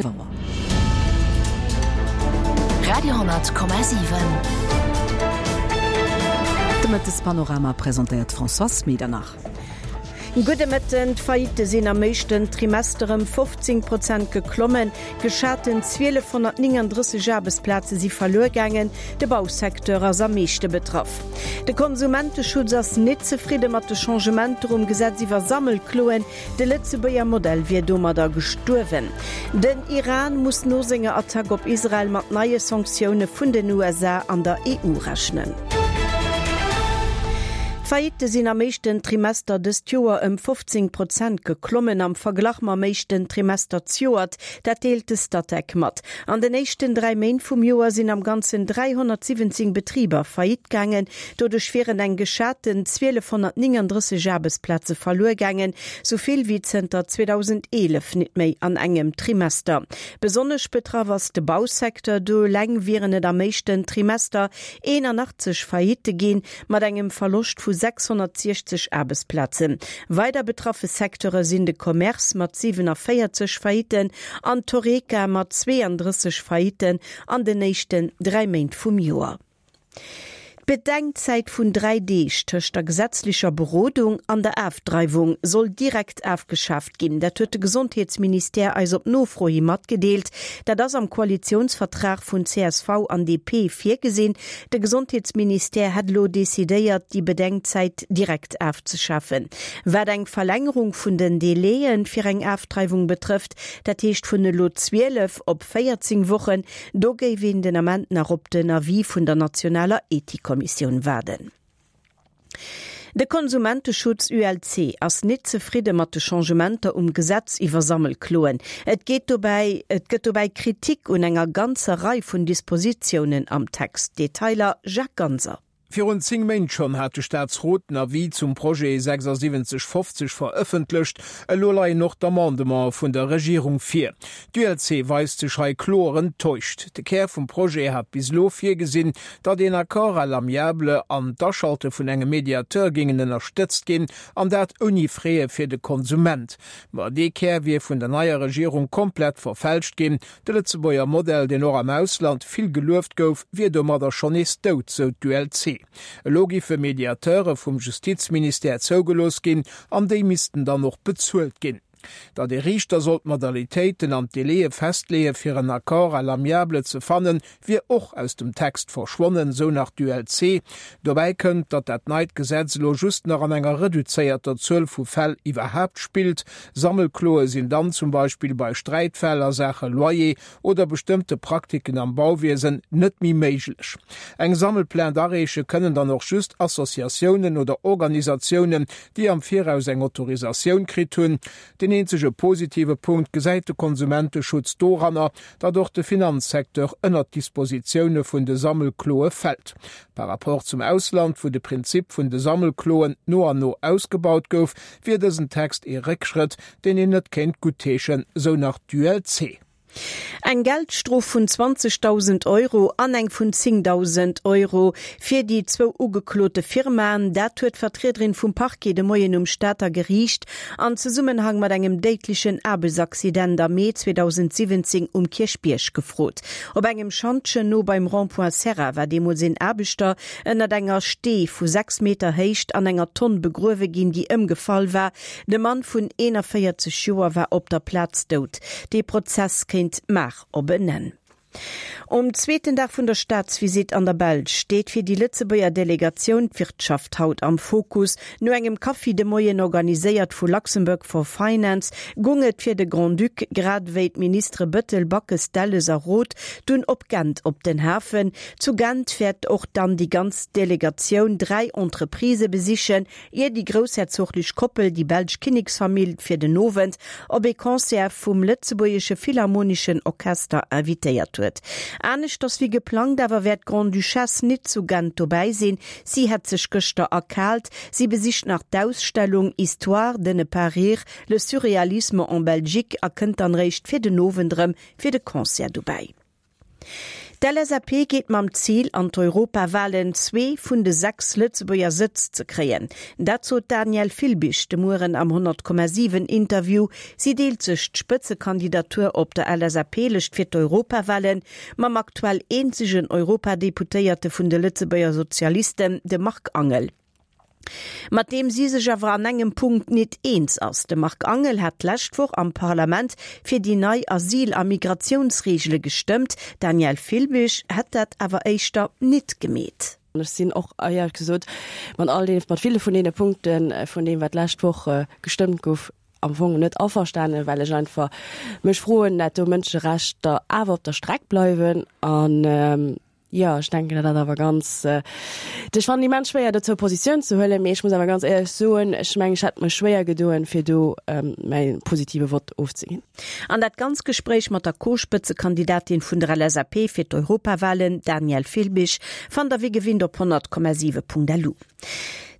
Auer. Radio,7. De Mëttespanorama presentéiert d'Françoise Medernach. Gudde Mëtten. D'Faillitte sinn am éischten Trimester ëm 15 Prozent geklommen. Geschaten 1.239 Aarbechtsplaze si verluer gaangen. De Bausecteur ass am meeschte betraff. De Konsumenteschutz ass nit zefridde mat de Changementer um Gesetz iwwer Sammelkloen. De Lëtzebuerger Modell wier domadder gestuerwen. Den Iran muss no senger Attack op Israel mat neie Sanktioune vun den USA an der EU rechnen. D'Faillitte sinn am éischten Trimester dëst Joer ëm 15 Prozent geklommen am Verglach mam éischten Trimester zejoert. Dat deelt de Statec mat. An den éischten 3 Méint vum Joer sinn am Ganzen 317 Betriber faillite gaangen. Doduerch wieren eng geschaten 1.239 Aarbechtsplaze verluer gaangen, sou vill wéi zënter 2011 nit méi an engem Trimester. Besonnesch betraff ass de Bausecteur, do eleng wieren et am éischten Trimester 81 Faillitte ginn, mat engem Verloscht vu 660 Aarbechtsplazen. Weider betraffe Secteure sinn de Commerce mat 47 Faillitten an d'Horeca mat 32 Faillitten an den éischten 3 Méint vum Joer. D'Bedenkzäit vun 3 Deeg tëscht der gesetzlecher Berodung an der Afdreiwung soll direkt afgeschaaft ginn. Dat huet de Gesondheetsministère eis op Nofro hi matgedeelt. Dat ass am Koalitiounsvertrag vun csv an DP virgesinn. De Gesondheetsministère hätt elo decidéiert, déi Bedenkzäit direkt afzeschafen. Wat eng Verlängerung vun den Délaië fir eng Afdreiwung betrëfft, dat heescht vun elo 12 op 14 Wochen, Do géif een den Ament nach op den Avis vun der nationaler Ethikkommissioun waarden. De Konsumenteschutz ULC ass nit zefridde mat de Changementer um Gesetz iwwer Sammelkloen. Et geet dobäi et gëtt dobäi Kritik un enger ganzer Rei vun Dispositiounen am Text. Detailer Jacques Ganser. Virun 10 Méint schonn hat de Staatsrot den Avis zum Projet 7650 verëffentlecht. Elo leien och d'Amendementen vun der Regierung vir. D'ULC weist sech hei kloer enttäuscht. De Kär vum Projet hat bis elo virgesinn, datt een Accord à l'amiable an d'Aschalte vun engem Mediateur géingen ënnerstëtzt ginn, an dat ouni Fraie fir de Konsument. Ma dee Kär wier vun der neier Regierung komplett verfälscht ginn. De Lëtzebuerger Modell, deen och am Ausland vill gelueft gouf, wier domadder schonn nees dout, sou d'ULC. Elo giffe Mediateure vum Justizministère zougelooss ginn an déi missten dann och bezuelt ginn. Datt ee Riichter soll d'Modalitéiten an d'Délaië festleeë fir en Accord à l'amiable ze fannen, wier och aus dem Text verschwonnen, sou nach d'ULC. Dobäi kënnt, datt dat neit Gesetz elo just nach an enger reduzéierter Zuel vu Fäll iwwerhaapt spillt. Sammelkloe sinn dann zum Beispill bei Sträitfäll a Saache Loyer oder bestëmmte Praktiken am Bauwiesen net méi méiglech. Eng Sammelplainte areeche kënnen dann och just Associatiounen oder Organisatiounen, déi am Viraus eng Autorisatioun kritt hunn. Deen eenzege positive Punkt gesäit de Konsumenteschutz doranner, datt och de Finanzsecteur ënnert d'Dispositioune vun de Sammelkloe fält. Par rapport zum Ausland, wou de Prinzip vun de Sammelkloen no an no ausgebaut gouf, wier dësen Text ee Réckschrëtt, deen een net kéint guttheeschen, sou nach d'ULC. Eng Geldstrof vun 20.000 Euro an eng vun 10.000 Euro fir déi zwou ugeklote Firmaen, dat huet d'Vertriederin vum Parquet de Moien um Stater Geriicht an Zesummenhang mat engem déidlechen Aarbechtsaccident am Mee 2017 um Kierchbierg gefrot. Op engem Schantjen no beim Rond-point Serra war deemools een Aarbechter ënnert enger Stee vu 6 Meter Héicht an enger Tonn begruewe ginn, déi ëmgefall war. De Mann vun 41 Joer war op der Plaz dout. Dee Prozess kéint mar op en Enn. Um zweeten Dag vun der Staatsvisitt an der Belsch steet fir déi Lëtzebuerger Delegatioun d'Wirtschaft haut am Fokus. No engem Kaffi de Moien, organiséiert vu Luxembourg for Finance, gung et fir de Grand-Duc, grad ewéi d'Ministere Bettel, Backes, Delles a Roth, dunn op Gent op den Hafen. Zu Gent wäert och dann déi ganz Delegatioun 3 Entreprisë besichen, Ier déi groussherzoglech Koppel déi belsch Kinneksfamill fir den Owend op ee Concert vum Lëtzebuergesche Philharmoneschen Orchester invitéiert huet. Aneschters wéi geplangt awer wäert d'Grande-Duchesse nit zu Gent dobäi sinn. Si hätt sech gëschter erkaalt. Si besicht nach d'Ausstellung Histoire de ne pas rire, le surréalisme en Belgique a kënnt dann réischt fir den Owend erëm fir de Concert dobäi. D'LSAP geet mam Zil an d'Europawalen, zwee vun de 6 Lëtzebuerger Sëtz ze kréien. Dat sot d'Danièle Filbig de Mueren am 100,7 Interview. Si deelt sech d'Spëtzekandidatur op der LSAP-Lëscht fir d'Europawalen mam aktuell eenzegen Europadeputéierte vun de Lëtzebuerger Sozialisten, dem Marc Angel. Mat deem si sech awer an engem Punkt nit eens ass. De Marc Angel hat d'lescht Woch am Parlament fir déi nei Asyl a Migratiounsreegele gestëmmt. D'Danièle Filbig hätt dat awer éischter nit gemeet. Ech sinn och éierlech gesot mat all deene, mat ville vun deene Punkte vun deem, wat d'lescht Woch gestëmmt gouf, am Fong net averstanen, well ech einfach mech froen, dat do Mënscherechter awer op der Streck bleiwen an, Jo, ech denken, dat ass awer ganz, ech fannen immens schwéier dozou Positioun ze huelen, mee ech muss awer ganz éierlech soen, ech mengen, ech hätt mech schwéier gedoen, fir do mäi positive Vott ofzeginn. An dat ganz Gespréich mat der Co-Spëtzekandidatin vun der LSAP fir d'Europawahlen, Danièle Filbig, fannt der wéi gewinnt op 100,7.lu.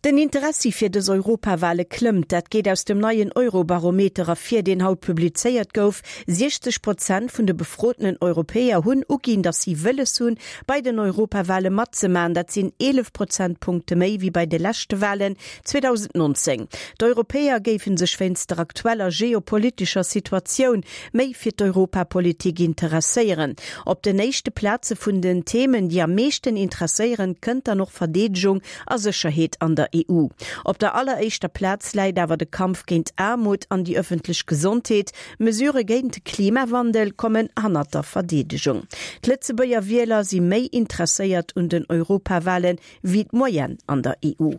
Den Interessi fir dës Europawale klëmmt. Dat geet aus dem neien Eurobarometer ervir, deen haut publizéiert gouf. 60 Prozent vun de befrotenen Europäer hunn uginn, datt si wëlles hunn, bei den Europawale matzemaachen. Dat sinn 11 Prozentpunkte méi wéi bei de leschte Walen 2019. D'Europäer géife sech wéinst der aktueller geopolitescher Situatioun méi fir d'Europapolitik interesséieren. Op den éischte Plaze vun den Themen, déi am meeschten interesséieren, kënnt dann och Verdeedegung a Sécherheet an der EU. Op der alleréischter Plaz läit awer de Kampf géint Aarmut an déi ëffentlech Gesondheet. Mesurë géint de Klimawandel kommen hannert der Verdeedegung. D'Lëtzebuerger Wieler si méi interesséiert un den Europawalen, wéi d'Moyenne an der EU.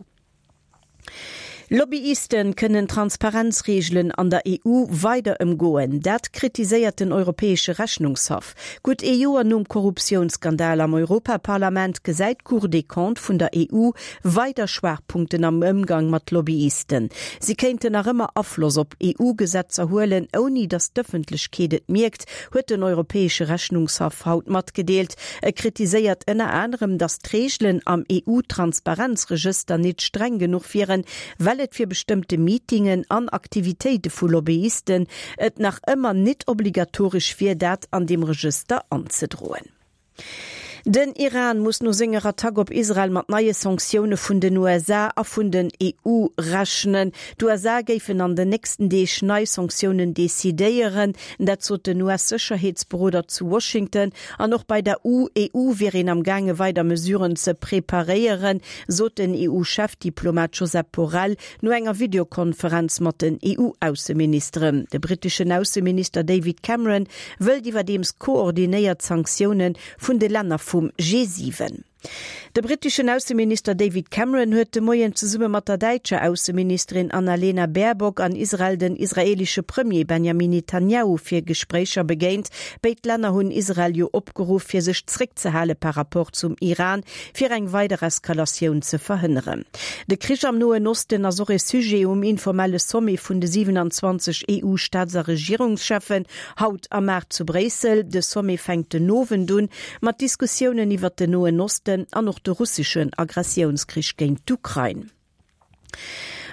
Lobbyisten kënnen d'Transparenzreegelen an der EU weider ëmgoen. Dat kritiséiert den Europäesche Rechnungshaff. Gutt ee Joer nom Korruptiounsskandal am Europaparlament gesäit d'Cour des Comptes vun der EU weider Schwaachpunkten am Ëmgang mat Lobbyisten. Si kéinten nach ëmmer Afloss op EU-Gesetzer huelen, ouni datt d'Ëffentlechkeet et mierkt, huet den Europäesche Rechnungshaff haut matgedeelt. E kritiséiert ënner anerem, datt d'Reegelen am EU-Transparenzregëster nit streng genuch wieren, well et fir bestëmmte Meetingen an Aktivitéite vu Lobbyisten et nach ëmmer nit obligatoresch wier, dat an deem Regëster anzedroen. Den Iran muss no senger Attack op Israel mat neie Sanktioune vun den USA a vun den EU rechnen. D'USA géifen an den nächsten Deeg nei Sanktiounen decidéieren. Dat sot den US-Sécherheetsberoder zu Washington. An och bei der EU wier een am gaange weider Mesuren ze preparéieren, sot den EU-Chefdiplomat Josep Borrell no enger Videokonferenz mat den EU-Ausseministeren. De britteschen Ausseminister David Cameron wëllt iwwerdeems koordinéiert Sanktioune vun de Länner vum G7. De britteschen Ausseminister David Cameron huet de Moien zesumme mat der däitscher Ausseministerin Annalena Baerbock an Israel den israeelesche Premier Benjamin Netanjahu fir Gespréicher begéint. Béid Länner hunn Israel jo opgeruff, fir sech zréckzehale par Rapport zum Iran, fir eng weider Eskalatioun ze verhënneren. De Krich am Noen Osten ass och e Sujet um informelle Sommet vun de 27 EU-Staats a Regierungscheffen haut am Maart zu Bréissel. De Sommet fänkt den Owend un mat Diskussiounen iwwert den Noen Osten an och de russeschen Aggressiounskrich géint d'Ukrain.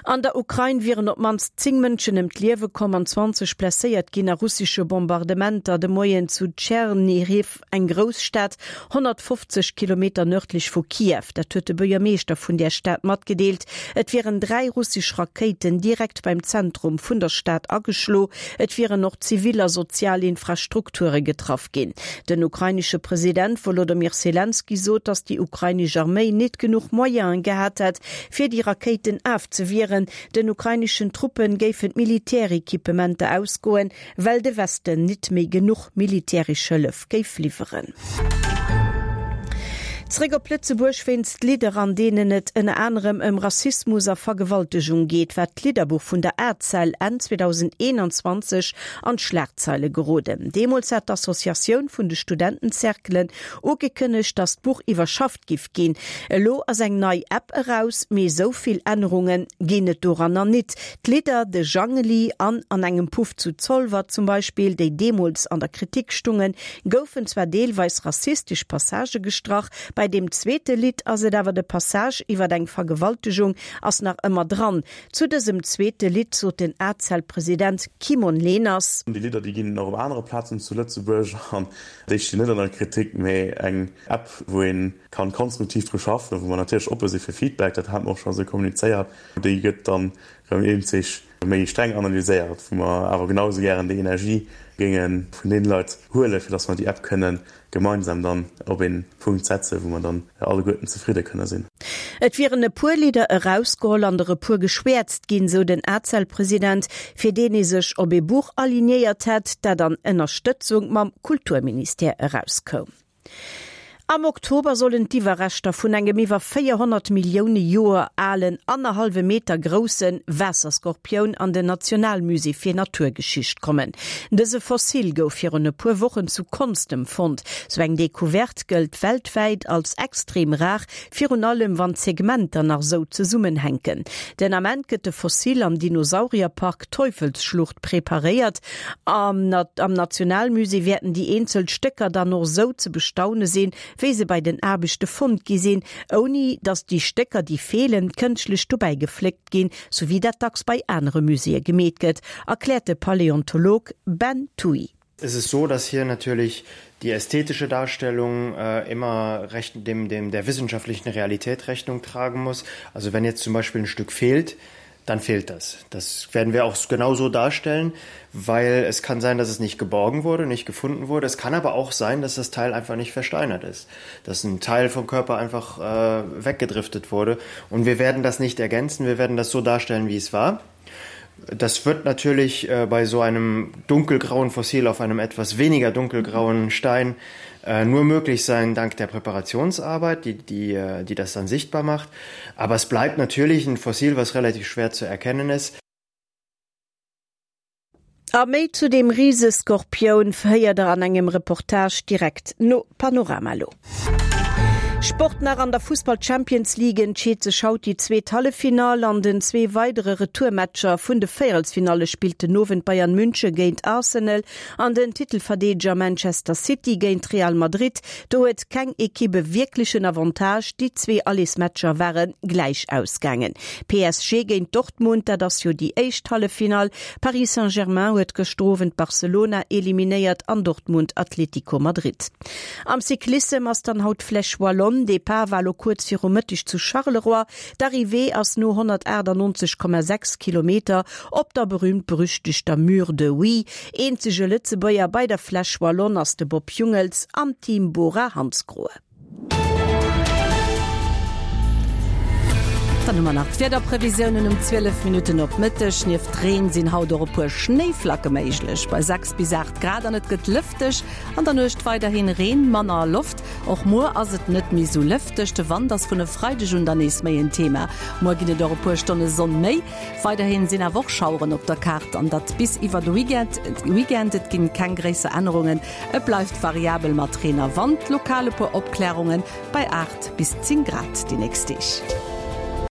An der Ukrain wieren op d'mannst 10 Mënschen ëm d'Liewe komm an 20 blesséiert ginn a russesche Bombardementer de Moien zu Tschernihiw, eng Grousstad 150 Kilometer nërdlech vu Kiew. Dat huet de Buergermeeschter vun där Stad matgedeelt. Et wieren 3 russesch Rakéiten direkt beim Zentrum vun der Stad ageschlo. Et wieren och zivil a sozial Infrastrukture getraff ginn. Den ukrainesche President Wolodomyr Selenskyj sot, datt déi ukrainesch Arméi nit genuch Moyene gehat hätt, fir déi Rakéiten afzewieren. Den ukraineschen Truppe géifen d'Militärequipementer ausgoen, well de Westen nit méi genuch militäresch Hëllef géif liwweren. Zréck op Lëtzebuerg, Wéinst Lidder, an deenen et ënner anerem ëm Rassismus a Vergewaltegung geet, war d'Lidderbuch vun der ACEL Enn 2021 an d'Schlagzeile geroden. Deemools hat d'Associatioun vun de Studentencerclen ugekënnegt, datt d'Buch iwwerschafft giff ginn. Elo ass eng nei App eraus, mee esou vill Ännerunge ginn et doranner nit. D'Lidder De Jangeli an An engem Puff zu Zolwer zum Beispill, déi deemools an der Kritik stungen, goufen zwar deelweis rassistesch Passagë gestrach. Bei deem zweete Lidd ass et awer de Passage iwwer eng Vergewaltegung ass nach ëmmer dran. Zu dësem zweete Lidd sot den ACEL-President Kimon Leners. Déi Lidder, déi ginn och op anere Plazen zu Lëtzebuerg an déi stinn net an der Kritik, mee eng App, wou ee kann konstruktiv dru schaffen, wou mer natierlech oppe si fir Feedback, dat hate mer och scho esou kommunizéiert, déi gëtt dann erëm eenzeg méi streng analyséiert, wou mer awer genau esou gären déi Energie géinge vun deene Leit huelen, fir datt mer déi App kënne gemeinsam dann op ee Punkt setzen, wou mer dann alleguerten zefridde kënne sinn. Et wieren e puer Lidder erausgeholl an der e puer geschwäerzt ginn, sou den ACEL-President, fir deen ee sech op ee Buch alignéiert hätt, dat an Ënnerstëtzung mam Kulturministère erauskoum. Am Oktober sollen d'Iwwerreschter vun engem iwwer 400 Millioune Joer alen, annerhallwe Meter grousse Waasserskorpioun an den Nationalmusée fir Naturgeschicht kommen. Dëse Fossil gouf virun e puer Wochen zu Konstem fonnt. Sou eng Decouverte gëllt weltwäit als extrem rar, virun allem wann d'Segmenter nach sou zesummenhänken. Den Ament gëtt de Fossil am Dinosaurierpark Teufelsschlucht preparéiert. Am Nationalmusée wäerten déi eenzel Stécker dann och sou ze bestaune sinn, wéi se bei den Aarbechte fonnt gi sinn, ouni datt déi Stécker, déi feelen, kënschtlech dobäi gefléckt ginn, sou wéi dat dacks bei anere Muséeë gemeet gëtt, erkläert de Paläontolog Ben Thuy. Es ist so, dass hier natürlich die ästhetische Darstellung äh, immer recht, dem, dem der wissenschaftlichen Realität Rechnung tragen muss. Also wenn jetzt zum Beispiel ein Stück fehlt, dann fehlt das. Das werden wir auch genauso darstellen, weil es kann sein, dass es nicht geborgen wurde, nicht gefunden wurde. Es kann aber auch sein, dass das Teil einfach nicht versteinert ist, dass ein Teil vom Körper einfach äh, weggedriftet wurde. Und wir werden das nicht ergänzen, wir werden das so darstellen, wie es war. Das wird natürlich äh, bei so einem dunkelgrauen Fossil auf einem etwas weniger dunkelgrauen Stein äh, nur möglich sein dank der Präparationsarbeit, die, die, äh, die das dann sichtbar macht. Aber es bleibt natürlich ein Fossil, was relativ schwer zu erkennen ist. A méi zu deem Riseskorpioun héiert der an engem Reportage direkt no Panorama lo. Sport nach, An der Fussball-Champions League entscheet sech haut déi zweet Halleffinall. An den zwee weidere Retourmatcher vun de Véierelsfinalle spillt den Owend Bayern München géint Arsenal an den Titelverdeedeger Manchester City géint Real Madrid. Do huet keng Ekipp e wierklechen Avantage, déi zwee Allersmatcher ware gläich ausgaangen. PSG géint Dortmund, dat ass jo déi éischt Halleffinall. Paris Saint-Germain huet gëschter Owend Barcelona eliminéiert an Dortmund Atlético Madrid. Am Cyclissem ass dann haut d'Flèche Wallonne. Depart war lo kuerz viru Mëtteg zu Charleroi. D'Arrivée ass no 198,6 Kilometer op der berüümt-berüchtegter Mur de Huy. Eenzege Lëtzebuerger bei der Flèche Wallonne ass de Bob Jungels am Team Bora-Hansgrohe. Dann hu mer nach d'Wiederprevisiounen um 12 Minutten op Mëtteg. Nieft Reen sinn haut och e puer Schnéiflacke méiglech bei 6 bis 8 Grad an et gëtt lëfteg. An der Nuecht weiderhin Reen, manner Loft. Och muer ass et net méi sou lëfteg. De Wand ass vun e Freideg un dann nees méi en Thema. Muer ginn et och e puer Stonne Sonn méi. Weiderhin sinn awer och Schaueren op der Kaart an dat bis iwwer de Weekend. Et ginn keng gréisser Ännerungen, et bleift variabel mat Reen a Wand, lokal e puer Opklärungen bei 8 bis 10 Grad déi nächst Deeg.